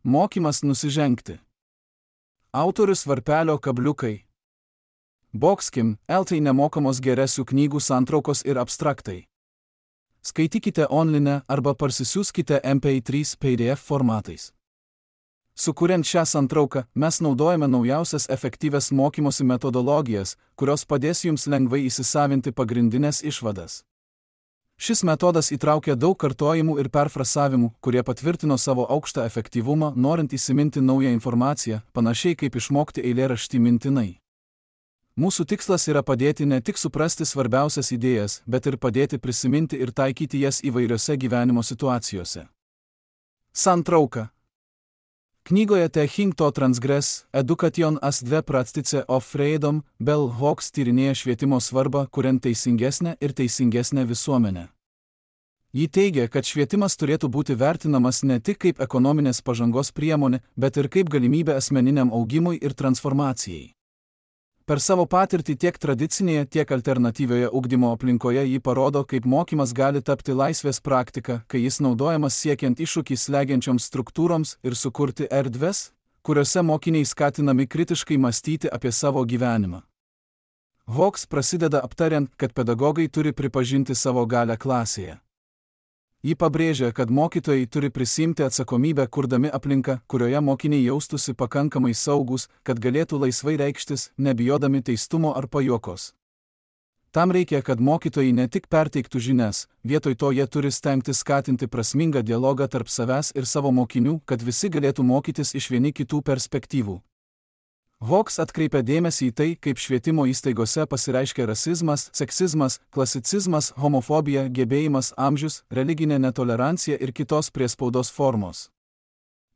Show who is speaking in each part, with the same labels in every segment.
Speaker 1: Mokymas nusižengti. Autorius Varpelio kabliukai. Boxkim, LT nemokamos geresių knygų santraukos ir abstraktai. Skaitykite online arba parsisiųskite MP3 PDF formatais. Sukuriant šią santrauką, mes naudojame naujausias efektyvias mokymosi metodologijas, kurios padės jums lengvai įsisavinti pagrindinės išvadas. Šis metodas įtraukia daug kartojimų ir perfrasavimų, kurie patvirtino savo aukštą efektyvumą, norint įsiminti naują informaciją, panašiai kaip išmokti eilėraštį mintinai. Mūsų tikslas yra padėti ne tik suprasti svarbiausias idėjas, bet ir padėti prisiminti ir taikyti jas įvairiose gyvenimo situacijose. Santrauka. Knygoje Thinking to Transgress, Education as dve praktice of freedom, Bell Hooks tyrinėja švietimo svarbą, kuriant teisingesnę ir teisingesnę visuomenę. Ji teigia, kad švietimas turėtų būti vertinamas ne tik kaip ekonominės pažangos priemonė, bet ir kaip galimybė asmeniniam augimui ir transformacijai. Per savo patirtį tiek tradicinėje, tiek alternatyvioje ugdymo aplinkoje ji parodo, kaip mokymas gali tapti laisvės praktika, kai jis naudojamas siekiant iššūkį slegiančioms struktūroms ir sukurti erdves, kuriuose mokiniai skatinami kritiškai mąstyti apie savo gyvenimą. Hooks prasideda aptariant, kad pedagogai turi pripažinti savo galią klasėje. Ji pabrėžia, kad mokytojai turi prisiimti atsakomybę, kurdami aplinką, kurioje mokiniai jaustųsi pakankamai saugūs, kad galėtų laisvai reikštis, nebijodami teistumo ar pajuokos. Tam reikia, kad mokytojai ne tik perteiktų žinias, vietoj to jie turi stengtis skatinti prasmingą dialogą tarp savęs ir savo mokinių, kad visi galėtų mokytis iš vieni kitų perspektyvų. Hooks atkreipia dėmesį į tai, kaip švietimo įstaigose pasireiškia rasizmas, seksizmas, klasicizmas, homofobija, gebėjimas, amžius, religinė netolerancija ir kitos priespaudos formos.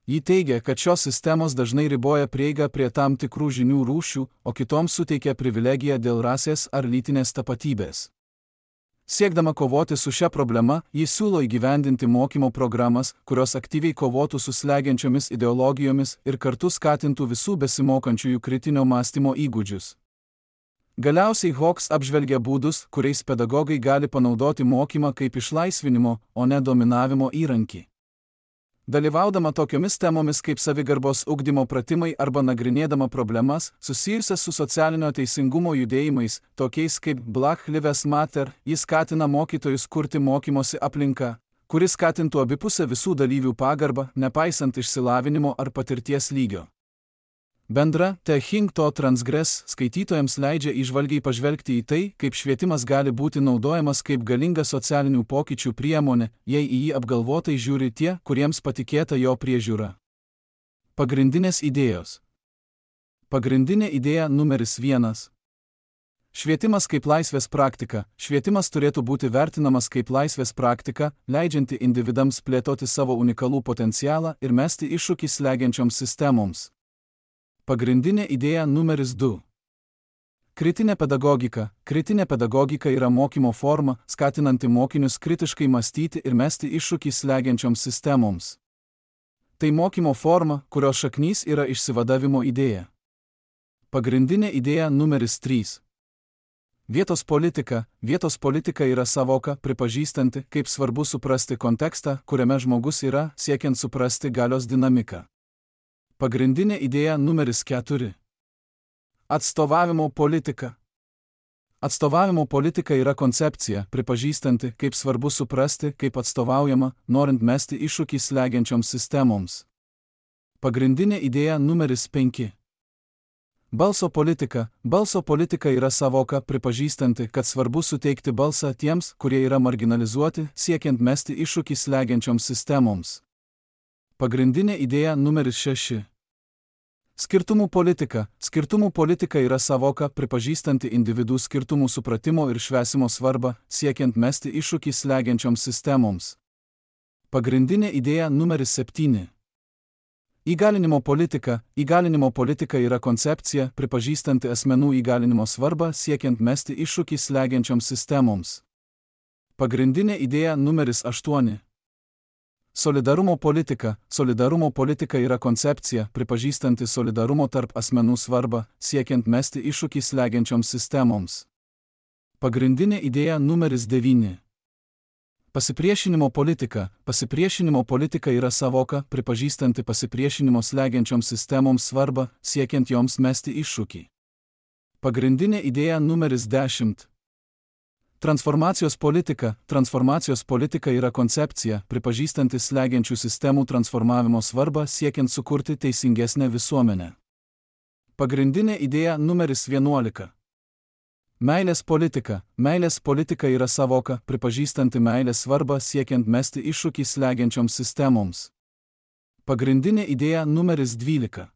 Speaker 1: Ji teigia, kad šios sistemos dažnai riboja prieigą prie tam tikrų žinių rūšių, o kitoms suteikia privilegiją dėl rasės ar lytinės tapatybės. Siekdama kovoti su šia problema, ji siūlo įgyvendinti mokymo programas, kurios aktyviai kovotų su slegiančiomis ideologijomis ir kartu skatintų visų besimokančiųjų kritinio mąstymo įgūdžius. Galiausiai Hooks apžvelgia būdus, kuriais pedagogai gali panaudoti mokymą kaip išlaisvinimo, o ne dominavimo įrankį. Dalyvaudama tokiomis temomis kaip savigarbos ugdymo pratimai arba nagrinėdama problemas susijusias su socialinio teisingumo judėjimais, tokiais kaip Black Lives Matter, jis skatina mokytojus kurti mokymosi aplinką, kuris skatintų abipusę visų dalyvių pagarbą, nepaisant išsilavinimo ar patirties lygio. Bendra Thinking to Transgress skaitytojams leidžia įžvalgiai pažvelgti į tai, kaip švietimas gali būti naudojamas kaip galinga socialinių pokyčių priemonė, jei į jį apgalvotai žiūri tie, kuriems patikėta jo priežiūra. Pagrindinės idėjos. Pagrindinė idėja numeris 1. Švietimas kaip laisvės praktika. Švietimas turėtų būti vertinamas kaip laisvės praktika, leidžianti individams plėtoti savo unikalų potencialą ir mesti iššūkį slegiančioms sistemoms. Pagrindinė idėja numeris 2. Kritinė pedagogika. Kritinė pedagogika yra mokymo forma, skatinanti mokinius kritiškai mąstyti ir mesti iššūkį slegiančioms sistemoms. Tai mokymo forma, kurios šaknys yra išsivadavimo idėja. Pagrindinė idėja numeris 3. Vietos politika. Vietos politika yra savoka, pripažįstanti, kaip svarbu suprasti kontekstą, kuriame žmogus yra, siekiant suprasti galios dinamiką. Pagrindinė idėja numeris 4. Atstovavimo politika. Atstovavimo politika yra koncepcija, pripažįstanti, kaip svarbu suprasti, kaip atstovaujama, norint mesti iššūkį slegiančioms sistemoms. Pagrindinė idėja numeris 5. Balso politika. Balso politika yra savoka, pripažįstanti, kad svarbu suteikti balsą tiems, kurie yra marginalizuoti, siekiant mesti iššūkį slegiančioms sistemoms. Pagrindinė idėja numeris 6. Skirtumų politika. Skirtumų politika yra savoka, pripažįstanti individų skirtumų supratimo ir švęsimo svarbą, siekiant mesti iššūkį slegiančioms sistemoms. Pagrindinė idėja numeris 7. Įgalinimo politika. Įgalinimo politika yra koncepcija, pripažįstanti asmenų įgalinimo svarbą, siekiant mesti iššūkį slegiančioms sistemoms. Pagrindinė idėja numeris 8. Solidarumo politika. Solidarumo politika yra koncepcija, pripažįstanti solidarumo tarp asmenų svarbą, siekiant mesti iššūkį slegiančioms sistemoms. Pagrindinė idėja numeris 9. Pasipriešinimo politika. Pasipriešinimo politika yra savoka, pripažįstanti pasipriešinimo slegiančioms sistemoms svarbą, siekiant joms mesti iššūkį. Pagrindinė idėja numeris 10. Transformacijos politika. Transformacijos politika yra koncepcija, pripažįstanti slegiančių sistemų transformavimo svarbą, siekiant sukurti teisingesnę visuomenę. Pagrindinė idėja numeris 11. Meilės politika. Meilės politika yra savoka, pripažįstanti meilės svarbą, siekiant mesti iššūkį slegiančioms sistemoms. Pagrindinė idėja numeris 12.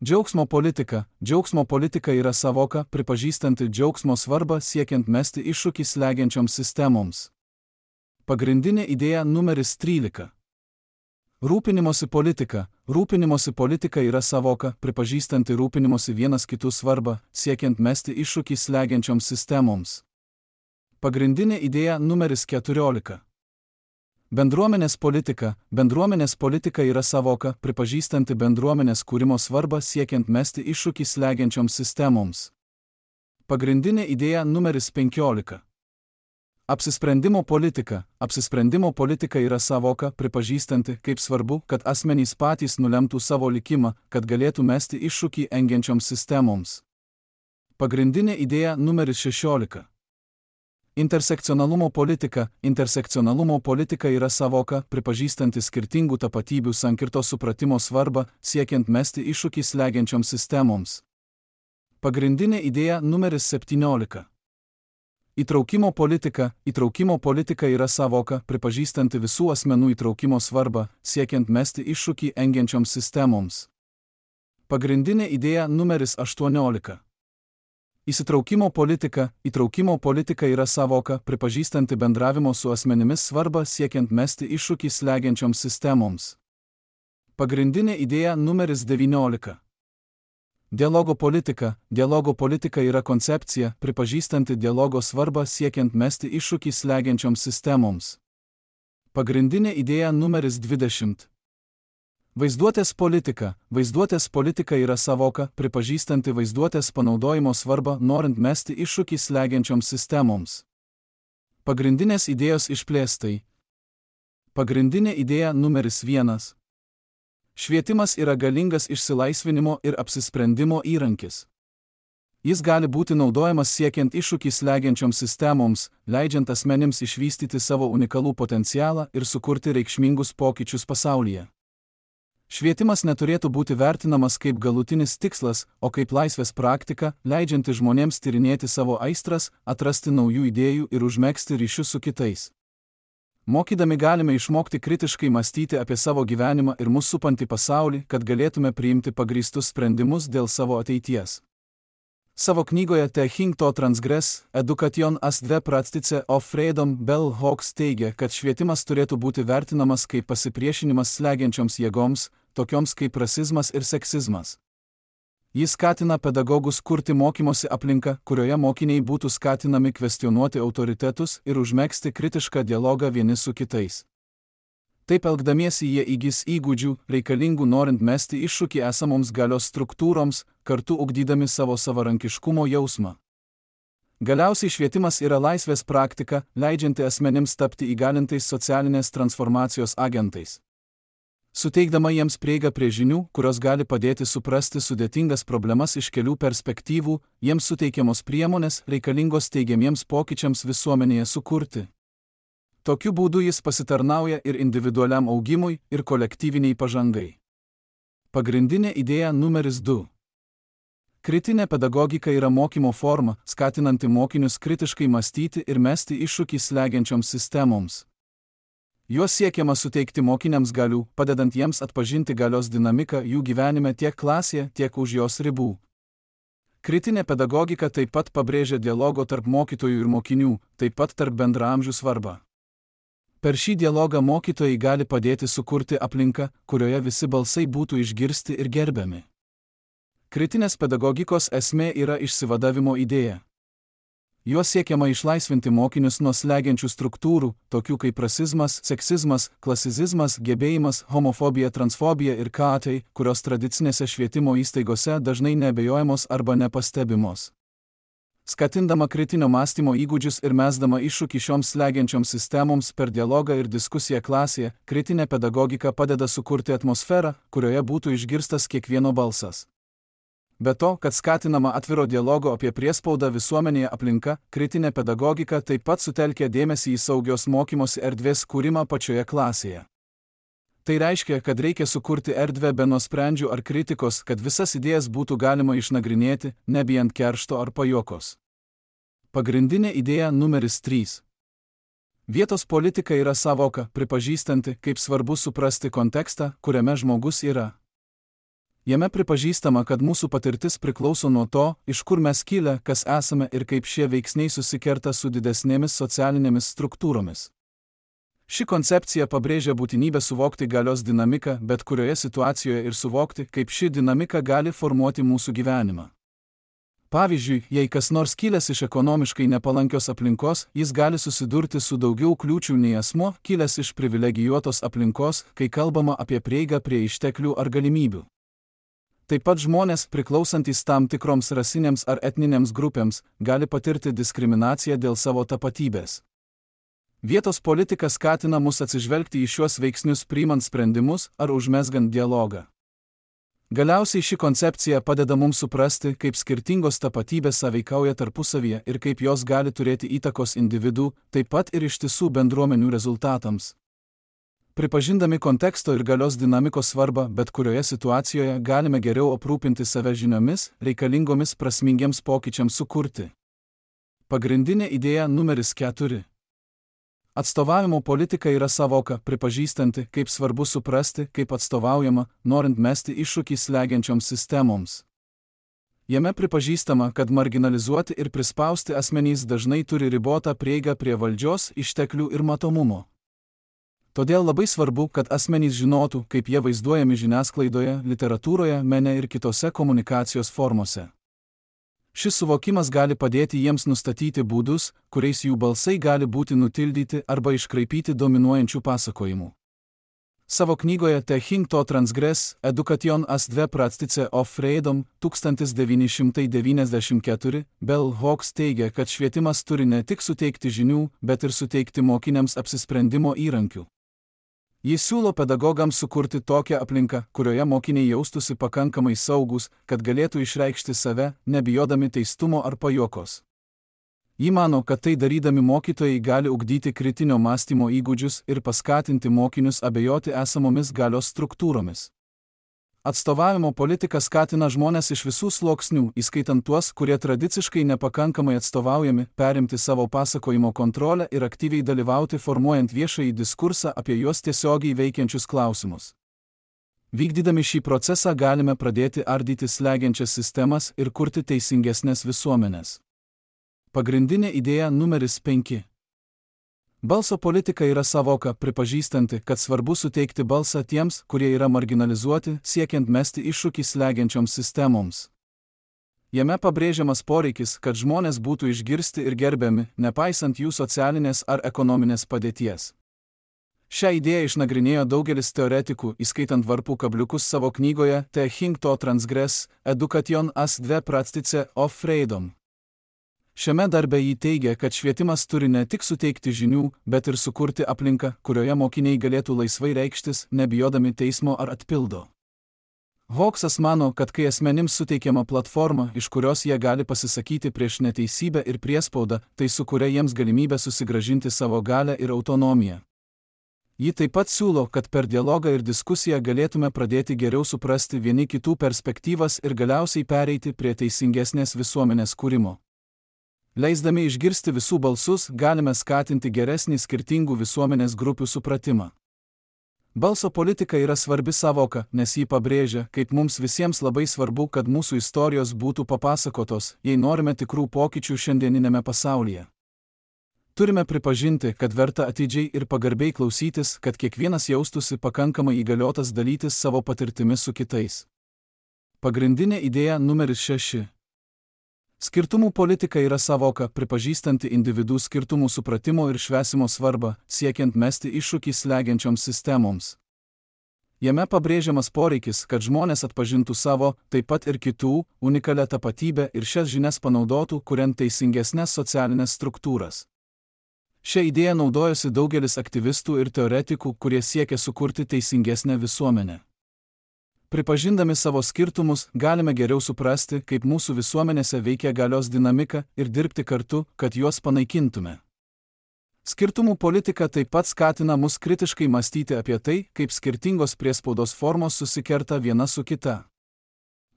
Speaker 1: Džiaugsmo politika. Džiaugsmo politika yra savoka, pripažįstanti džiaugsmo svarbą, siekiant mesti iššūkį slegiančioms sistemoms. Pagrindinė idėja numeris 13. Rūpinimosi politika. Rūpinimosi politika yra savoka, pripažįstanti rūpinimosi vienas kitų svarbą, siekiant mesti iššūkį slegiančioms sistemoms. Pagrindinė idėja numeris 14. Bendruomenės politika. Bendruomenės politika yra savoka, pripažįstanti bendruomenės kūrimo svarbą, siekiant mesti iššūkį slegiančioms sistemoms. Pagrindinė idėja numeris 15. Apsisprendimo politika. Apsisprendimo politika yra savoka, pripažįstanti, kaip svarbu, kad asmenys patys nulemtų savo likimą, kad galėtų mesti iššūkį engiančioms sistemoms. Pagrindinė idėja numeris 16. Intersekcionalumo politika. Intersekcionalumo politika yra savoka, pripažįstanti skirtingų tapatybių sankirtos supratimo svarbą, siekiant mesti iššūkį slegiančioms sistemoms. Pagrindinė idėja numeris 17. Įtraukimo politika. Įtraukimo politika yra savoka, pripažįstanti visų asmenų įtraukimo svarbą, siekiant mesti iššūkį engiančioms sistemoms. Pagrindinė idėja numeris 18. Įsitraukimo politika. Įtraukimo politika yra savoka, pripažįstanti bendravimo su asmenimis svarbą, siekiant mesti iššūkį slegiančioms sistemoms. Pagrindinė idėja numeris 19. Dialogo politika. Dialogo politika yra koncepcija, pripažįstanti dialogo svarbą, siekiant mesti iššūkį slegiančioms sistemoms. Pagrindinė idėja numeris 20. Vaizduotės politika. Vaizduotės politika yra savoka, pripažįstanti vaizduotės panaudojimo svarbą, norint mesti iššūkį slegiančioms sistemoms. Pagrindinės idėjos išplėstai. Pagrindinė idėja numeris 1. Švietimas yra galingas išsilaisvinimo ir apsisprendimo įrankis. Jis gali būti naudojamas siekiant iššūkį slegiančioms sistemoms, leidžiant asmenims išvystyti savo unikalų potencialą ir sukurti reikšmingus pokyčius pasaulyje. Švietimas neturėtų būti vertinamas kaip galutinis tikslas, o kaip laisvės praktika, leidžianti žmonėms tyrinėti savo aistras, atrasti naujų idėjų ir užmegzti ryšius su kitais. Mokydami galime išmokti kritiškai mąstyti apie savo gyvenimą ir mus supantį pasaulį, kad galėtume priimti pagrįstus sprendimus dėl savo ateities. Savo knygoje Thinking to Transgress, Education as the Practice of Freedom, Bell Hooks teigia, kad švietimas turėtų būti vertinamas kaip pasipriešinimas slegiančioms jėgoms, tokioms kaip rasizmas ir seksizmas. Jis skatina pedagogus kurti mokymosi aplinką, kurioje mokiniai būtų skatinami kvestionuoti autoritetus ir užmegzti kritišką dialogą vieni su kitais. Taip elgdamiesi jie įgis įgūdžių, reikalingų norint mesti iššūkį esamoms galios struktūroms, kartu ugdydami savo savarankiškumo jausmą. Galiausiai švietimas yra laisvės praktika, leidžianti asmenims tapti įgalintais socialinės transformacijos agentais. Suteikdama jiems prieigą prie žinių, kurios gali padėti suprasti sudėtingas problemas iš kelių perspektyvų, jiems suteikiamos priemonės reikalingos teigiamiems pokyčiams visuomenėje sukurti. Tokiu būdu jis pasitarnauja ir individualiam augimui, ir kolektyviniai pažangai. Pagrindinė idėja numeris 2. Kritinė pedagogika yra mokymo forma, skatinanti mokinius kritiškai mąstyti ir mesti iššūkį slegiančioms sistemoms. Juos siekiama suteikti mokiniams galių, padedant jiems atpažinti galios dinamiką jų gyvenime tiek klasėje, tiek už jos ribų. Kritinė pedagogika taip pat pabrėžia dialogo tarp mokytojų ir mokinių, taip pat tarp bendraamžių svarbą. Per šį dialogą mokytojai gali padėti sukurti aplinką, kurioje visi balsai būtų išgirsti ir gerbiami. Kritinės pedagogikos esmė yra išsivadavimo idėja. Juo siekiama išlaisvinti mokinius nuo slegiančių struktūrų, tokių kaip rasizmas, seksizmas, klasicizmas, gebėjimas, homofobija, transfobija ir katai, kurios tradicinėse švietimo įstaigose dažnai neabejojamos arba nepastebimos. Skatindama kritinio mąstymo įgūdžius ir mesdama iššūkį šioms slegiančioms sistemoms per dialogą ir diskusiją klasėje, kritinė pedagogika padeda sukurti atmosferą, kurioje būtų išgirstas kiekvieno balsas. Be to, kad skatinama atviro dialogo apie priespaudą visuomenėje aplinka, kritinė pedagogika taip pat sutelkia dėmesį į saugios mokymosi erdvės kūrimą pačioje klasėje. Tai reiškia, kad reikia sukurti erdvę be nuosprendžių ar kritikos, kad visas idėjas būtų galima išnagrinėti, nebijant keršto ar pajuokos. Pagrindinė idėja numeris 3. Vietos politika yra sąvoka, pripažįstanti, kaip svarbu suprasti kontekstą, kuriame žmogus yra. Jame pripažįstama, kad mūsų patirtis priklauso nuo to, iš kur mes kilę, kas esame ir kaip šie veiksniai susikerta su didesnėmis socialinėmis struktūromis. Ši koncepcija pabrėžia būtinybę suvokti galios dinamiką bet kurioje situacijoje ir suvokti, kaip ši dinamika gali formuoti mūsų gyvenimą. Pavyzdžiui, jei kas nors kilęs iš ekonomiškai nepalankios aplinkos, jis gali susidurti su daugiau kliūčių nei asmuo, kilęs iš privilegijuotos aplinkos, kai kalbama apie prieigą prie išteklių ar galimybių. Taip pat žmonės, priklausantys tam tikroms rasinėms ar etninėms grupėms, gali patirti diskriminaciją dėl savo tapatybės. Vietos politika skatina mus atsižvelgti į šiuos veiksnius priimant sprendimus ar užmezgant dialogą. Galiausiai ši koncepcija padeda mums suprasti, kaip skirtingos tapatybės sąveikauja tarpusavyje ir kaip jos gali turėti įtakos individų, taip pat ir ištisų bendruomenių rezultatams. Pripažindami konteksto ir galios dinamikos svarbą, bet kurioje situacijoje galime geriau aprūpinti save žiniomis, reikalingomis prasmingiems pokyčiams sukurti. Pagrindinė idėja numeris 4. Atstovavimo politika yra sąvoka, pripažįstanti, kaip svarbu suprasti, kaip atstovaujama, norint mesti iššūkį slegiančioms sistemoms. Jame pripažįstama, kad marginalizuoti ir prispausti asmenys dažnai turi ribotą prieigą prie valdžios, išteklių ir matomumo. Todėl labai svarbu, kad asmenys žinotų, kaip jie vaizduojami žiniasklaidoje, literatūroje, mene ir kitose komunikacijos formose. Šis suvokimas gali padėti jiems nustatyti būdus, kuriais jų balsai gali būti nutildyti arba iškraipyti dominuojančių pasakojimų. Savo knygoje Thinking to Transgress, Education as dve praktice of freedom 1994 Bell Hooks teigia, kad švietimas turi ne tik suteikti žinių, bet ir suteikti mokiniams apsisprendimo įrankių. Jis siūlo pedagogams sukurti tokią aplinką, kurioje mokiniai jaustųsi pakankamai saugūs, kad galėtų išreikšti save, nebijodami teistumo ar pajuokos. Ji mano, kad tai darydami mokytojai gali ugdyti kritinio mąstymo įgūdžius ir paskatinti mokinius abejoti esamomis galios struktūromis. Atstovavimo politika skatina žmones iš visų sluoksnių, įskaitant tuos, kurie tradiciškai nepakankamai atstovaujami, perimti savo pasakojimo kontrolę ir aktyviai dalyvauti formuojant viešąjį diskursą apie juos tiesiogiai veikiančius klausimus. Vykdydami šį procesą galime pradėti ardyti slegiančias sistemas ir kurti teisingesnės visuomenės. Pagrindinė idėja numeris 5. Balso politika yra sąvoka, pripažįstanti, kad svarbu suteikti balsą tiems, kurie yra marginalizuoti, siekiant mesti iššūkį slegiančioms sistemoms. Jame pabrėžiamas poreikis, kad žmonės būtų išgirsti ir gerbiami, nepaisant jų socialinės ar ekonominės padėties. Šią idėją išnagrinėjo daugelis teoretikų, įskaitant Varpų kabliukus savo knygoje Thinking to Transgress, Education as dve praktice of freedom. Šiame darbe jį teigia, kad švietimas turi ne tik suteikti žinių, bet ir sukurti aplinką, kurioje mokiniai galėtų laisvai reikštis, nebijodami teismo ar atpildo. Hooksas mano, kad kai asmenims suteikiama platforma, iš kurios jie gali pasisakyti prieš neteisybę ir priespaudą, tai sukuria jiems galimybę susigrąžinti savo galią ir autonomiją. Ji taip pat siūlo, kad per dialogą ir diskusiją galėtume pradėti geriau suprasti vieni kitų perspektyvas ir galiausiai pereiti prie teisingesnės visuomenės kūrimo. Leisdami išgirsti visų balsus, galime skatinti geresnį skirtingų visuomenės grupių supratimą. Balso politika yra svarbi sąvoka, nes ji pabrėžia, kaip mums visiems labai svarbu, kad mūsų istorijos būtų papasakotos, jei norime tikrų pokyčių šiandieninėme pasaulyje. Turime pripažinti, kad verta atidžiai ir pagarbiai klausytis, kad kiekvienas jaustųsi pakankamai įgaliotas dalytis savo patirtimi su kitais. Pagrindinė idėja numeris 6. Skirtumų politika yra sąvoka, pripažįstanti individų skirtumų supratimo ir švęsimo svarbą, siekiant mesti iššūkį slegiančioms sistemoms. Jame pabrėžiamas poreikis, kad žmonės atpažintų savo, taip pat ir kitų, unikalią tapatybę ir šias žinias panaudotų, kuriant teisingesnes socialinės struktūras. Šią idėją naudojosi daugelis aktyvistų ir teoretikų, kurie siekia sukurti teisingesnę visuomenę. Pripažindami savo skirtumus, galime geriau suprasti, kaip mūsų visuomenėse veikia galios dinamika ir dirbti kartu, kad juos panaikintume. Skirtumų politika taip pat skatina mus kritiškai mąstyti apie tai, kaip skirtingos priespaudos formos susikerta viena su kita.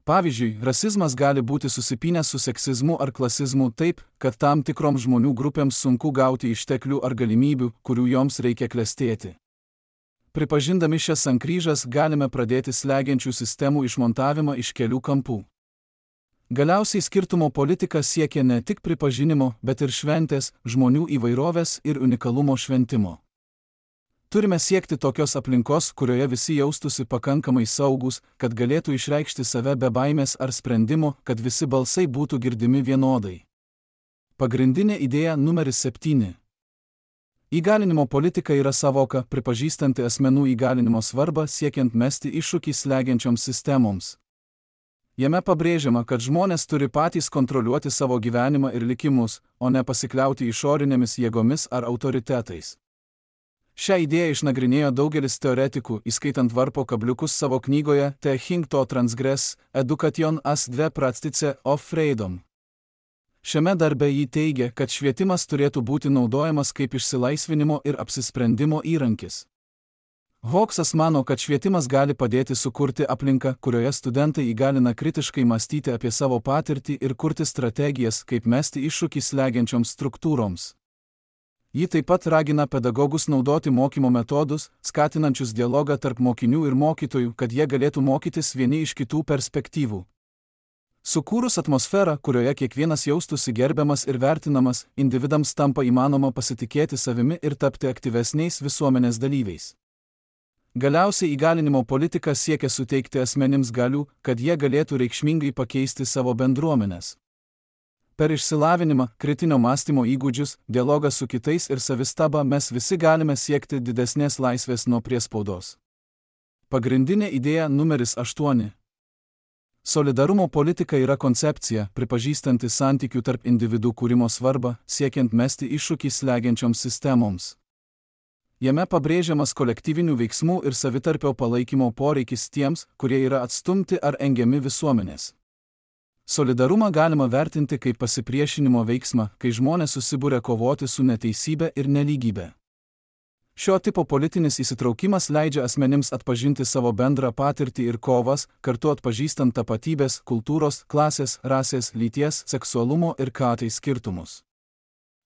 Speaker 1: Pavyzdžiui, rasizmas gali būti susipynęs su seksizmu ar klasizmu taip, kad tam tikroms žmonių grupėms sunku gauti išteklių ar galimybių, kurių joms reikia klestėti. Pripažindami šias sankryžas galime pradėti slegiančių sistemų išmontavimą iš kelių kampų. Galiausiai skirtumo politika siekia ne tik pripažinimo, bet ir šventės, žmonių įvairovės ir unikalumo šventimo. Turime siekti tokios aplinkos, kurioje visi jaustųsi pakankamai saugūs, kad galėtų išreikšti save be baimės ar sprendimo, kad visi balsai būtų girdimi vienodai. Pagrindinė idėja numeris 7. Įgalinimo politika yra savoka, pripažįstanti asmenų įgalinimo svarbą siekiant mesti iššūkį slegiančioms sistemoms. Jame pabrėžiama, kad žmonės turi patys kontroliuoti savo gyvenimą ir likimus, o ne pasikliauti išorinėmis jėgomis ar autoritetais. Šią idėją išnagrinėjo daugelis teoretikų, įskaitant Varpo Kabliukus savo knygoje The Thing to Transgress, Education as the Practice of Freedom. Šiame darbe jį teigia, kad švietimas turėtų būti naudojamas kaip išsilaisvinimo ir apsisprendimo įrankis. Hawksas mano, kad švietimas gali padėti sukurti aplinką, kurioje studentai įgalina kritiškai mąstyti apie savo patirtį ir kurti strategijas, kaip mesti iššūkį slegiančioms struktūroms. Ji taip pat ragina pedagogus naudoti mokymo metodus, skatinančius dialogą tarp mokinių ir mokytojų, kad jie galėtų mokytis vieni iš kitų perspektyvų. Sukūrus atmosferą, kurioje kiekvienas jaustųsi gerbiamas ir vertinamas, individams tampa įmanoma pasitikėti savimi ir tapti aktyvesniais visuomenės dalyviais. Galiausiai įgalinimo politika siekia suteikti asmenims galių, kad jie galėtų reikšmingai pakeisti savo bendruomenes. Per išsilavinimą, kritinio mąstymo įgūdžius, dialogą su kitais ir savistabą mes visi galime siekti didesnės laisvės nuo priespaudos. Pagrindinė idėja numeris 8. Solidarumo politika yra koncepcija, pripažįstanti santykių tarp individų kūrimo svarbą, siekiant mesti iššūkį slegiančioms sistemoms. Jame pabrėžiamas kolektyvinių veiksmų ir savitarpio palaikymo poreikis tiems, kurie yra atstumti ar engiami visuomenės. Solidarumą galima vertinti kaip pasipriešinimo veiksmą, kai žmonės susibūrė kovoti su neteisybė ir nelygybė. Šio tipo politinis įsitraukimas leidžia asmenims atpažinti savo bendrą patirtį ir kovas, kartu atpažįstant tapatybės, kultūros, klasės, rasės, lyties, seksualumo ir KT skirtumus.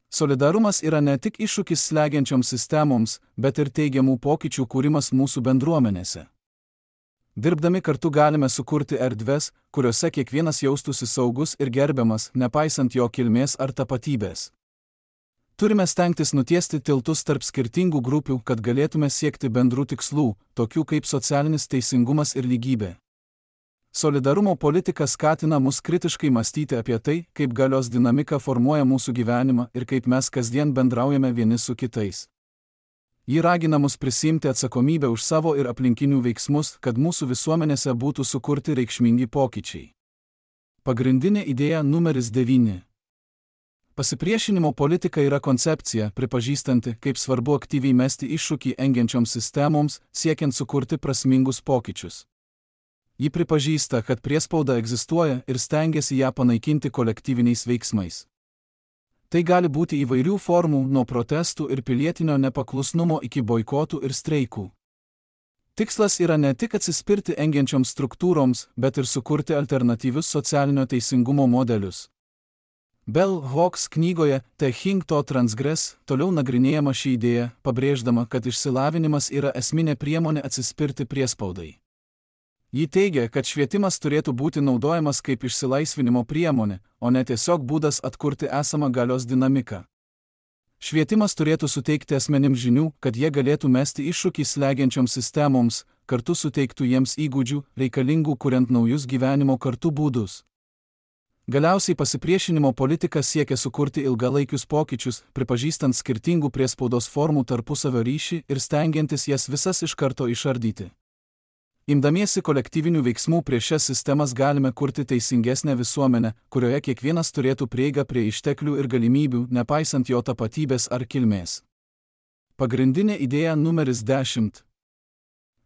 Speaker 1: Solidarumas yra ne tik iššūkis slegiančioms sistemoms, bet ir teigiamų pokyčių kūrimas mūsų bendruomenėse. Dirbdami kartu galime sukurti erdves, kuriuose kiekvienas jaustųsi saugus ir gerbiamas, nepaisant jo kilmės ar tapatybės. Turime stengtis nutiesti tiltus tarp skirtingų grupių, kad galėtume siekti bendrų tikslų, tokių kaip socialinis teisingumas ir lygybė. Solidarumo politika skatina mus kritiškai mąstyti apie tai, kaip galios dinamika formuoja mūsų gyvenimą ir kaip mes kasdien bendraujame vieni su kitais. Ji ragina mus prisiimti atsakomybę už savo ir aplinkinių veiksmus, kad mūsų visuomenėse būtų sukurti reikšmingi pokyčiai. Pagrindinė idėja numeris 9. Pasipriešinimo politika yra koncepcija, pripažįstanti, kaip svarbu aktyviai mesti iššūkį engiančioms sistemoms, siekiant sukurti prasmingus pokyčius. Ji pripažįsta, kad priespauda egzistuoja ir stengiasi ją panaikinti kolektyviniais veiksmais. Tai gali būti įvairių formų, nuo protestų ir pilietinio nepaklusnumo iki boikotų ir streikų. Tikslas yra ne tik atsispirti engiančioms struktūroms, bet ir sukurti alternatyvius socialinio teisingumo modelius. Bell Hooks knygoje The Thing to Transgress toliau nagrinėjama ši idėja, pabrėždama, kad išsilavinimas yra esminė priemonė atsispirti priespaudai. Ji teigia, kad švietimas turėtų būti naudojamas kaip išsilaisvinimo priemonė, o ne tiesiog būdas atkurti esamą galios dinamiką. Švietimas turėtų suteikti asmenims žinių, kad jie galėtų mesti iššūkį slegiančioms sistemoms, kartu suteiktų jiems įgūdžių, reikalingų kuriant naujus gyvenimo kartu būdus. Galiausiai pasipriešinimo politika siekia sukurti ilgalaikius pokyčius, pripažįstant skirtingų priespaudos formų tarpusavio ryšį ir stengiantis jas visas iš karto išardyti. Imdamiesi kolektyvinių veiksmų prieš šias sistemas galime kurti teisingesnę visuomenę, kurioje kiekvienas turėtų prieigą prie išteklių ir galimybių, nepaisant jo tapatybės ar kilmės. Pagrindinė idėja numeris 10.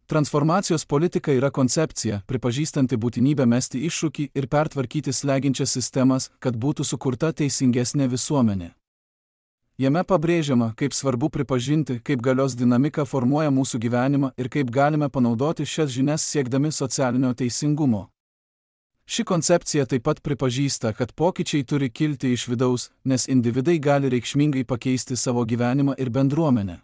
Speaker 1: Transformacijos politika yra koncepcija, pripažįstanti būtinybę mesti iššūkį ir pertvarkyti slegiančias sistemas, kad būtų sukurta teisingesnė visuomenė. Jame pabrėžiama, kaip svarbu pripažinti, kaip galios dinamika formuoja mūsų gyvenimą ir kaip galime panaudoti šias žinias siekdami socialinio teisingumo. Ši koncepcija taip pat pripažįsta, kad pokyčiai turi kilti iš vidaus, nes individai gali reikšmingai pakeisti savo gyvenimą ir bendruomenę.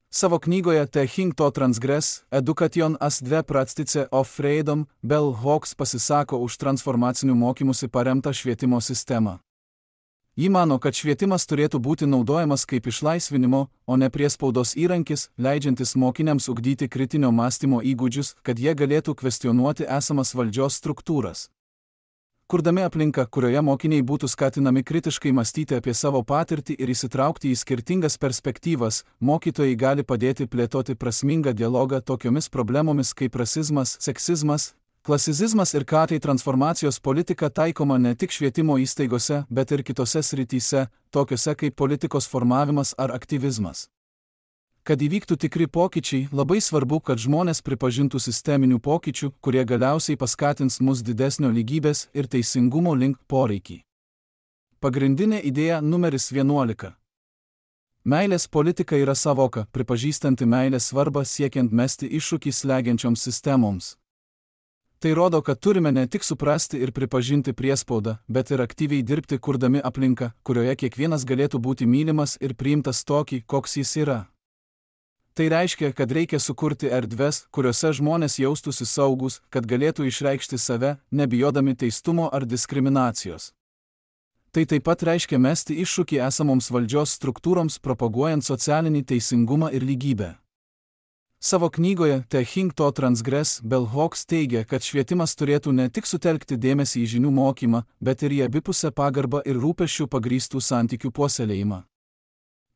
Speaker 1: Savo knygoje Thinking to Transgress, Education as dve praktice of freedom, Bell Hooks pasisako už transformacinių mokymųsi paremtą švietimo sistemą. Ji mano, kad švietimas turėtų būti naudojamas kaip išlaisvinimo, o ne priespaudos įrankis, leidžiantis mokiniams ugdyti kritinio mąstymo įgūdžius, kad jie galėtų kvestionuoti esamas valdžios struktūras. Kurdami aplinką, kurioje mokiniai būtų skatinami kritiškai mąstyti apie savo patirtį ir įsitraukti į skirtingas perspektyvas, mokytojai gali padėti plėtoti prasmingą dialogą tokiomis problemomis kaip rasizmas, seksizmas, klasicizmas ir ką tai transformacijos politika taikoma ne tik švietimo įstaigose, bet ir kitose srityse, tokiose kaip politikos formavimas ar aktyvizmas. Kad įvyktų tikri pokyčiai, labai svarbu, kad žmonės pripažintų sisteminių pokyčių, kurie galiausiai paskatins mus didesnio lygybės ir teisingumo link poreikį. Pagrindinė idėja numeris 11. Meilės politika yra savoka, pripažįstanti meilės svarbą siekiant mesti iššūkį slegiančioms sistemoms. Tai rodo, kad turime ne tik suprasti ir pripažinti priespaudą, bet ir aktyviai dirbti kurdami aplinką, kurioje kiekvienas galėtų būti mylimas ir priimtas tokį, koks jis yra. Tai reiškia, kad reikia sukurti erdves, kuriuose žmonės jaustųsi saugus, kad galėtų išreikšti save, nebijodami teistumo ar diskriminacijos. Tai taip pat reiškia mesti iššūkį esamoms valdžios struktūroms, propaguojant socialinį teisingumą ir lygybę. Savo knygoje Thinking to Transgress, Bell Hooks teigia, kad švietimas turėtų ne tik sutelkti dėmesį į žinių mokymą, bet ir į abipusę pagarbą ir rūpesčių pagrįstų santykių puoselėjimą.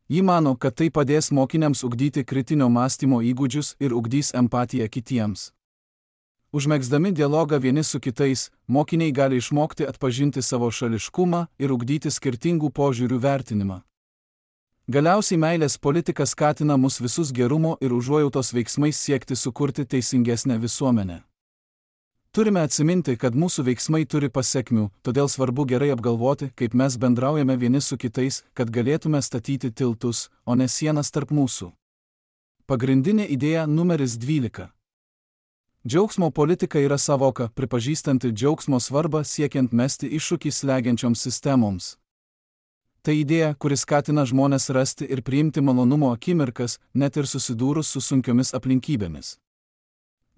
Speaker 1: Ji mano, kad tai padės mokiniams ugdyti kritinio mąstymo įgūdžius ir ugdys empatiją kitiems. Užmegzdami dialogą vieni su kitais, mokiniai gali išmokti atpažinti savo šališkumą ir ugdyti skirtingų požiūrių vertinimą. Galiausiai meilės politika skatina mus visus gerumo ir užuojautos veiksmais siekti sukurti teisingesnę visuomenę. Turime atsiminti, kad mūsų veiksmai turi pasekmių, todėl svarbu gerai apgalvoti, kaip mes bendraujame vieni su kitais, kad galėtume statyti tiltus, o ne sienas tarp mūsų. Pagrindinė idėja numeris 12. Džiaugsmo politika yra savoka, pripažįstanti džiaugsmo svarbą siekiant mesti iššūkį slegiančioms sistemoms. Tai idėja, kuri skatina žmonės rasti ir priimti malonumo akimirkas, net ir susidūrus su sunkiomis aplinkybėmis.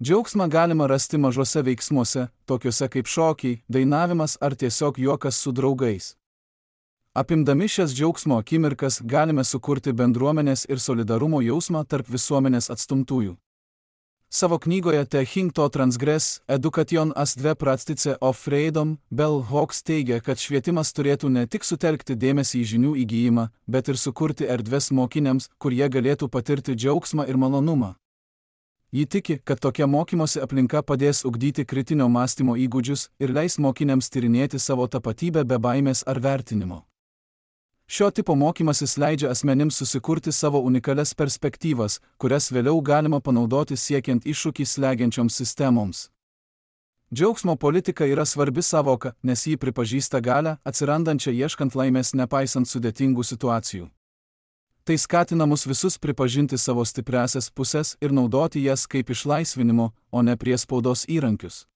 Speaker 1: Džiaugsmą galima rasti mažuose veiksmuose, tokiuose kaip šokiai, dainavimas ar tiesiog juokas su draugais. Apimdami šias džiaugsmo akimirkas galime sukurti bendruomenės ir solidarumo jausmą tarp visuomenės atstumtųjų. Savo knygoje Thinking to Transgress, Education as dve praktice of freedom, Bell Hooks teigia, kad švietimas turėtų ne tik sutelkti dėmesį į žinių įgijimą, bet ir sukurti erdves mokiniams, kur jie galėtų patirti džiaugsmą ir malonumą. Ji tiki, kad tokia mokymosi aplinka padės ugdyti kritinio mąstymo įgūdžius ir leis mokiniams tyrinėti savo tapatybę be baimės ar vertinimo. Šio tipo mokymasis leidžia asmenims susikurti savo unikalias perspektyvas, kurias vėliau galima panaudoti siekiant iššūkį slegiančioms sistemoms. Džiaugsmo politika yra svarbi savoka, nes ji pripažįsta galią, atsirandančią ieškant laimės nepaisant sudėtingų situacijų. Tai skatina mus visus pripažinti savo stipriąsias puses ir naudoti jas kaip išlaisvinimo, o ne priespaudos įrankius.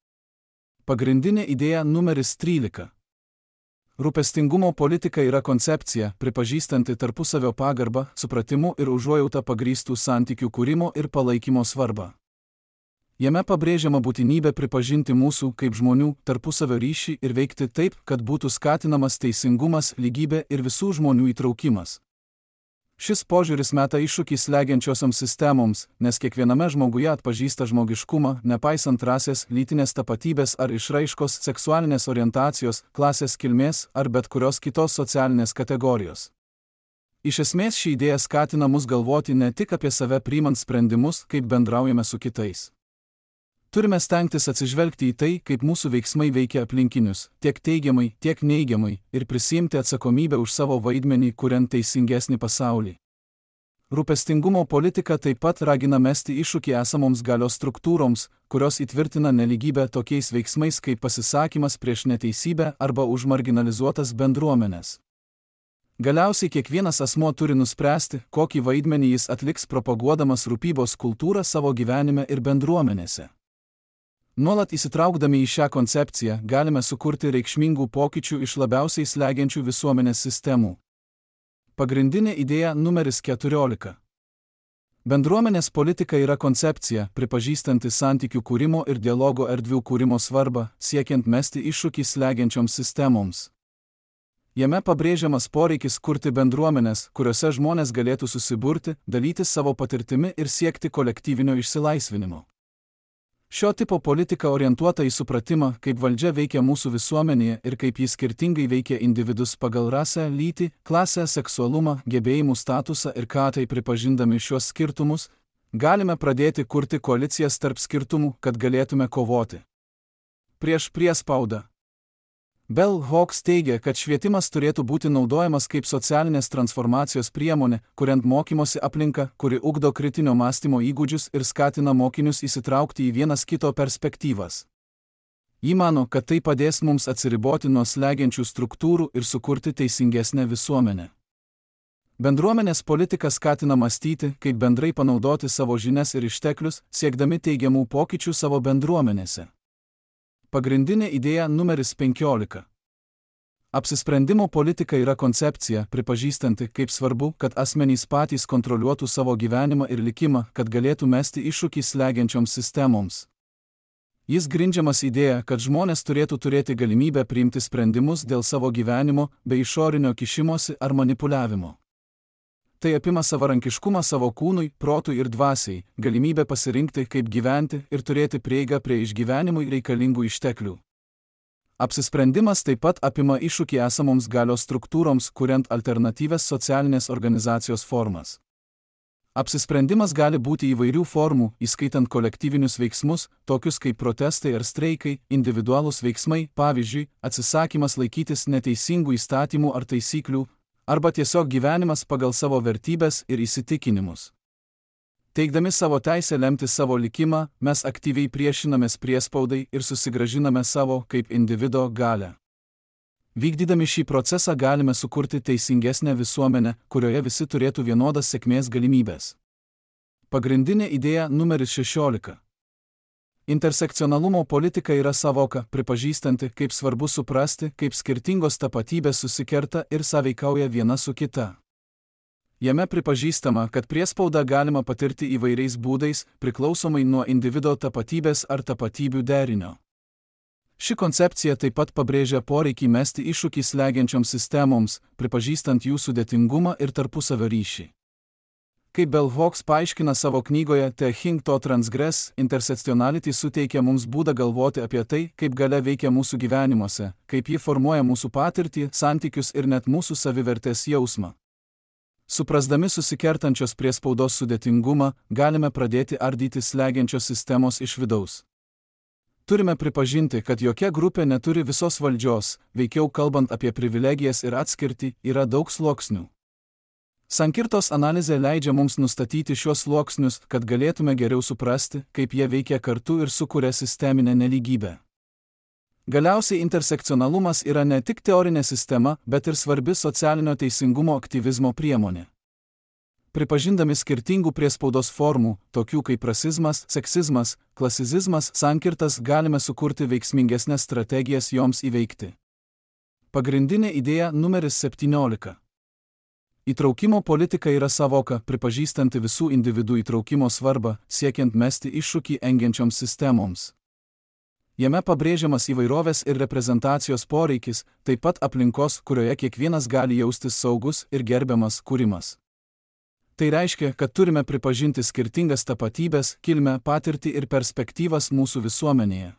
Speaker 1: Pagrindinė idėja numeris 13. Rūpestingumo politika yra koncepcija, pripažįstanti tarpusavio pagarbą, supratimu ir užuojautą pagrįstų santykių kūrimo ir palaikymo svarbą. Jame pabrėžiama būtinybė pripažinti mūsų kaip žmonių tarpusavio ryšį ir veikti taip, kad būtų skatinamas teisingumas, lygybė ir visų žmonių įtraukimas. Šis požiūris meta iššūkį slegiančiosioms sistemoms, nes kiekviename žmoguje atpažįsta žmogiškumą, nepaisant rasės, lytinės tapatybės ar išraiškos, seksualinės orientacijos, klasės kilmės ar bet kurios kitos socialinės kategorijos. Iš esmės ši idėja skatina mus galvoti ne tik apie save priimant sprendimus, kaip bendraujame su kitais. Turime stengtis atsižvelgti į tai, kaip mūsų veiksmai veikia aplinkinius, tiek teigiamai, tiek neigiamai, ir prisiimti atsakomybę už savo vaidmenį, kuriant teisingesnį pasaulį. Rūpestingumo politika taip pat ragina mesti iššūkį esamoms galios struktūroms, kurios įtvirtina nelygybę tokiais veiksmais kaip pasisakymas prieš neteisybę arba už marginalizuotas bendruomenes. Galiausiai kiekvienas asmuo turi nuspręsti, kokį vaidmenį jis atliks propaguodamas rūpybos kultūrą savo gyvenime ir bendruomenėse. Nuolat įsitraukdami į šią koncepciją galime sukurti reikšmingų pokyčių iš labiausiai slegiančių visuomenės sistemų. Pagrindinė idėja numeris 14. Bendruomenės politika yra koncepcija, pripažįstanti santykių kūrimo ir dialogo erdvių kūrimo svarbą, siekiant mesti iššūkį slegiančioms sistemoms. Jame pabrėžiamas poreikis kurti bendruomenės, kuriuose žmonės galėtų susiburti, dalytis savo patirtimi ir siekti kolektyvinio išsilaisvinimo. Šio tipo politika orientuota į supratimą, kaip valdžia veikia mūsų visuomenėje ir kaip jis skirtingai veikia individus pagal rasę, lytį, klasę, seksualumą, gebėjimų statusą ir ką tai pripažindami šios skirtumus, galime pradėti kurti koalicijas tarp skirtumų, kad galėtume kovoti prieš priespaudą. Bell Hooks teigia, kad švietimas turėtų būti naudojamas kaip socialinės transformacijos priemonė, kuriant mokymosi aplinką, kuri ugdo kritinio mąstymo įgūdžius ir skatina mokinius įsitraukti į vienas kito perspektyvas. Ji mano, kad tai padės mums atsiriboti nuo slegiančių struktūrų ir sukurti teisingesnę visuomenę. Bendruomenės politika skatina mąstyti, kaip bendrai panaudoti savo žinias ir išteklius, siekdami teigiamų pokyčių savo bendruomenėse. Pagrindinė idėja numeris 15. Apsisprendimo politika yra koncepcija, pripažįstanti, kaip svarbu, kad asmenys patys kontroliuotų savo gyvenimą ir likimą, kad galėtų mesti iššūkį slegiančioms sistemoms. Jis grindžiamas idėja, kad žmonės turėtų turėti galimybę priimti sprendimus dėl savo gyvenimo be išorinio kišimosi ar manipuliavimo. Tai apima savarankiškumą savo kūnui, protui ir dvasiai, galimybę pasirinkti, kaip gyventi ir turėti prieigą prie išgyvenimui reikalingų išteklių. Apsisprendimas taip pat apima iššūkį esamoms galios struktūroms, kuriant alternatyvias socialinės organizacijos formas. Apsisprendimas gali būti įvairių formų, įskaitant kolektyvinius veiksmus, tokius kaip protestai ar streikai, individualūs veiksmai, pavyzdžiui, atsisakymas laikytis neteisingų įstatymų ar taisyklių, arba tiesiog gyvenimas pagal savo vertybes ir įsitikinimus. Teikdami savo teisę lemti savo likimą, mes aktyviai priešinamės priespaudai ir susigrąžiname savo kaip individo galią. Vykdydami šį procesą galime sukurti teisingesnę visuomenę, kurioje visi turėtų vienodas sėkmės galimybės. Pagrindinė idėja numeris 16. Intersekcionalumo politika yra savoka, pripažįstanti, kaip svarbu suprasti, kaip skirtingos tapatybės susikerta ir sąveikauja viena su kita. Jame pripažįstama, kad priespaudą galima patirti įvairiais būdais, priklausomai nuo individo tapatybės ar tapatybių derinio. Ši koncepcija taip pat pabrėžia poreikį mesti iššūkį slegiančioms sistemoms, pripažįstant jų sudėtingumą ir tarpusavio ryšį. Kaip Bell Hooks paaiškina savo knygoje The Thing to Transgress, intersekcionality suteikia mums būdą galvoti apie tai, kaip galia veikia mūsų gyvenimuose, kaip ji formuoja mūsų patirtį, santykius ir net mūsų savivertės jausmą. Suprasdami susikertančios priespaudos sudėtingumą, galime pradėti ardyti slegiančios sistemos iš vidaus. Turime pripažinti, kad jokia grupė neturi visos valdžios, veikiau kalbant apie privilegijas ir atskirtį, yra daug sluoksnių. Sankirtos analizė leidžia mums nustatyti šios sluoksnius, kad galėtume geriau suprasti, kaip jie veikia kartu ir sukuria sisteminę nelygybę. Galiausiai intersekcionalumas yra ne tik teorinė sistema, bet ir svarbi socialinio teisingumo aktyvizmo priemonė. Pripažindami skirtingų priespaudos formų, tokių kaip rasizmas, seksizmas, klasizizmas, sankirtas, galime sukurti veiksmingesnės strategijas joms įveikti. Pagrindinė idėja numeris 17. Įtraukimo politika yra savoka, pripažįstanti visų individų įtraukimo svarbą, siekiant mesti iššūkį engiančioms sistemoms. Jame pabrėžiamas įvairovės ir reprezentacijos poreikis, taip pat aplinkos, kurioje kiekvienas gali jaustis saugus ir gerbiamas kūrimas. Tai reiškia, kad turime pripažinti skirtingas tapatybės, kilmę, patirtį ir perspektyvas mūsų visuomenėje.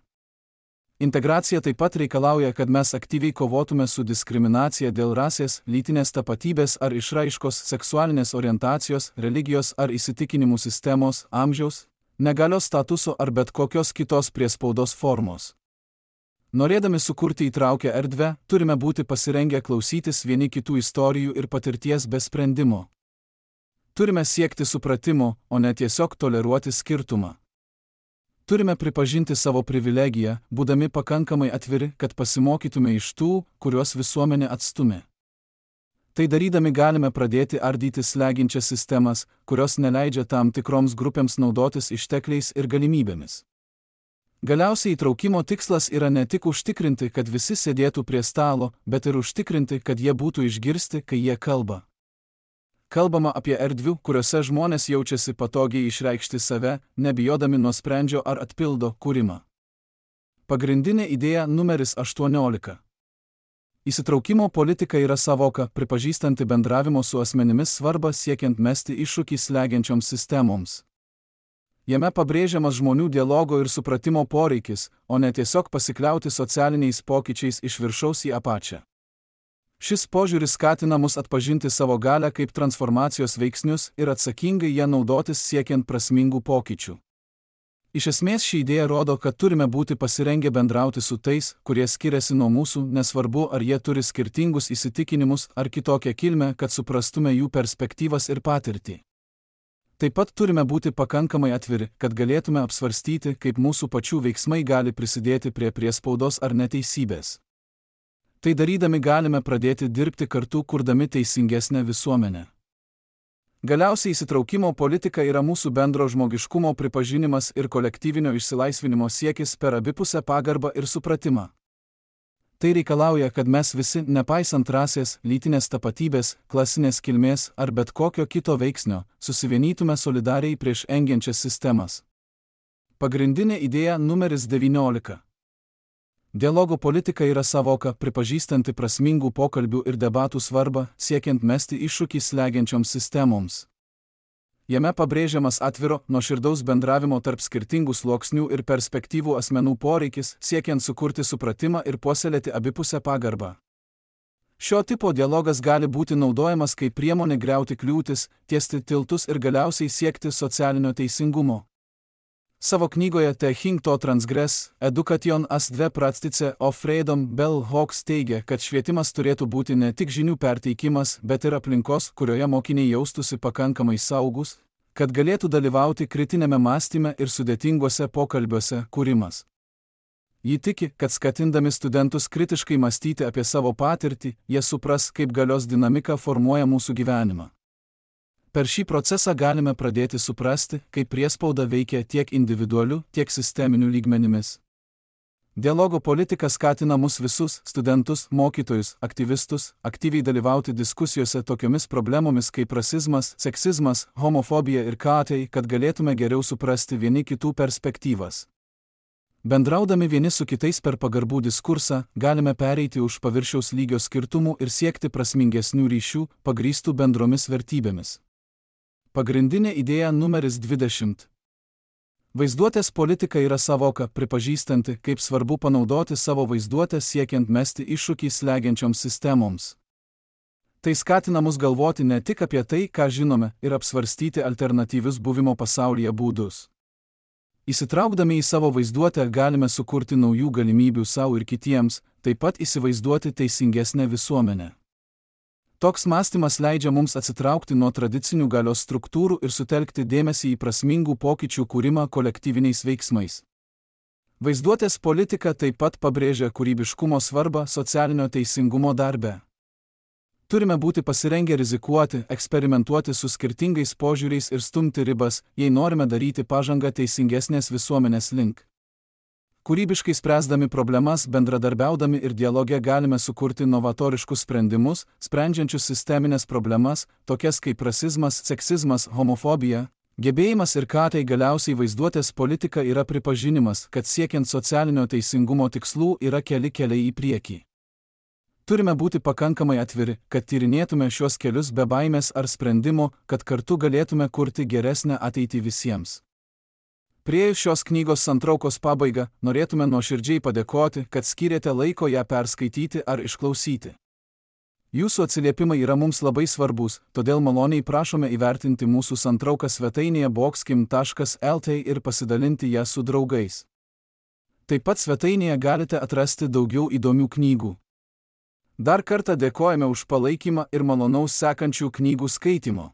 Speaker 1: Integracija taip pat reikalauja, kad mes aktyviai kovotume su diskriminacija dėl rasės, lytinės tapatybės ar išraiškos, seksualinės orientacijos, religijos ar įsitikinimų sistemos, amžiaus, negalios statuso ar bet kokios kitos priespaudos formos. Norėdami sukurti įtraukę erdvę, turime būti pasirengę klausytis vieni kitų istorijų ir patirties be sprendimo. Turime siekti supratimo, o ne tiesiog toleruoti skirtumą. Turime pripažinti savo privilegiją, būdami pakankamai atviri, kad pasimokytume iš tų, kuriuos visuomenė atstumė. Tai darydami galime pradėti ardyti slegiančias sistemas, kurios neleidžia tam tikroms grupėms naudotis ištekliais ir galimybėmis. Galiausiai įtraukimo tikslas yra ne tik užtikrinti, kad visi sėdėtų prie stalo, bet ir užtikrinti, kad jie būtų išgirsti, kai jie kalba. Kalbama apie erdvių, kuriuose žmonės jaučiasi patogiai išreikšti save, nebijodami nuosprendžio ar atpildo kūrimą. Pagrindinė idėja numeris 18. Įsitraukimo politika yra savoka, pripažįstanti bendravimo su asmenimis svarbą siekiant mesti iššūkį slegiančioms sistemoms. Jame pabrėžiamas žmonių dialogo ir supratimo poreikis, o ne tiesiog pasikliauti socialiniais pokyčiais iš viršaus į apačią. Šis požiūris skatina mus atpažinti savo galią kaip transformacijos veiksnius ir atsakingai ją naudotis siekiant prasmingų pokyčių. Iš esmės ši idėja rodo, kad turime būti pasirengę bendrauti su tais, kurie skiriasi nuo mūsų, nesvarbu ar jie turi skirtingus įsitikinimus ar kitokią kilmę, kad suprastume jų perspektyvas ir patirtį. Taip pat turime būti pakankamai atviri, kad galėtume apsvarstyti, kaip mūsų pačių veiksmai gali prisidėti prie priespaudos ar neteisybės. Tai darydami galime pradėti dirbti kartu, kurdami teisingesnę visuomenę. Galiausiai įsitraukimo politika yra mūsų bendro žmogiškumo pripažinimas ir kolektyvinio išsilaisvinimo siekis per abipusę pagarbą ir supratimą. Tai reikalauja, kad mes visi, nepaisant rasės, lytinės tapatybės, klasinės kilmės ar bet kokio kito veiksnio, susivienytume solidariai prieš engiančias sistemas. Pagrindinė idėja numeris 19. Dialogo politika yra savoka, pripažįstanti prasmingų pokalbių ir debatų svarbą, siekiant mesti iššūkį slegiančioms sistemoms. Jame pabrėžiamas atviro, nuoširdaus bendravimo tarp skirtingų sluoksnių ir perspektyvų asmenų poreikis, siekiant sukurti supratimą ir puoselėti abipusę pagarbą. Šio tipo dialogas gali būti naudojamas kaip priemonė griauti kliūtis, tiesti tiltus ir galiausiai siekti socialinio teisingumo. Savo knygoje The Thing to Transgress, Education as the Practice of Freedom, Bell Hooks teigia, kad švietimas turėtų būti ne tik žinių perteikimas, bet ir aplinkos, kurioje mokiniai jaustųsi pakankamai saugus, kad galėtų dalyvauti kritinėme mąstyme ir sudėtinguose pokalbiuose kūrimas. Ji tiki, kad skatindami studentus kritiškai mąstyti apie savo patirtį, jie supras, kaip galios dinamika formuoja mūsų gyvenimą. Per šį procesą galime pradėti suprasti, kaip priespauda veikia tiek individualiu, tiek sisteminiu lygmenimis. Dialogo politika skatina mus visus, studentus, mokytojus, aktyvistus, aktyviai dalyvauti diskusijose tokiomis problemomis kaip rasizmas, seksizmas, homofobija ir katai, kad galėtume geriau suprasti vieni kitų perspektyvas. Bendraudami vieni su kitais per pagarbų diskursą, galime pereiti už paviršiaus lygio skirtumų ir siekti prasmingesnių ryšių, pagrįstų bendromis vertybėmis. Pagrindinė idėja numeris 20. Vaizduotės politika yra savoka, pripažįstanti, kaip svarbu panaudoti savo vaizduotę siekiant mesti iššūkį slegiančioms sistemoms. Tai skatina mus galvoti ne tik apie tai, ką žinome, ir apsvarstyti alternatyvius buvimo pasaulyje būdus. Įsitraukdami į savo vaizduotę galime sukurti naujų galimybių savo ir kitiems, taip pat įsivaizduoti teisingesnę visuomenę. Toks mąstymas leidžia mums atsitraukti nuo tradicinių galios struktūrų ir sutelkti dėmesį į prasmingų pokyčių kūrimą kolektyviniais veiksmais. Vaizduotės politika taip pat pabrėžia kūrybiškumo svarbą socialinio teisingumo darbe. Turime būti pasirengę rizikuoti, eksperimentuoti su skirtingais požiūriais ir stumti ribas, jei norime daryti pažangą teisingesnės visuomenės link. Kūrybiškai spręsdami problemas, bendradarbiaudami ir dialoge galime sukurti novatoriškus sprendimus, sprendžiančius sisteminės problemas, tokias kaip rasizmas, seksizmas, homofobija. Gebėjimas ir katai galiausiai vaizduotės politika yra pripažinimas, kad siekiant socialinio teisingumo tikslų yra keli keliai į priekį. Turime būti pakankamai atviri, kad tyrinėtume šios kelius be baimės ar sprendimo, kad kartu galėtume kurti geresnę ateitį visiems. Priėjus šios knygos santraukos pabaigą, norėtume nuoširdžiai padėkoti, kad skyrėte laiko ją perskaityti ar išklausyti. Jūsų atsiliepimai yra mums labai svarbus, todėl maloniai prašome įvertinti mūsų santrauką svetainėje boxkim.lt ir pasidalinti ją su draugais. Taip pat svetainėje galite atrasti daugiau įdomių knygų. Dar kartą dėkojame už palaikymą ir malonaus sekančių knygų skaitymo.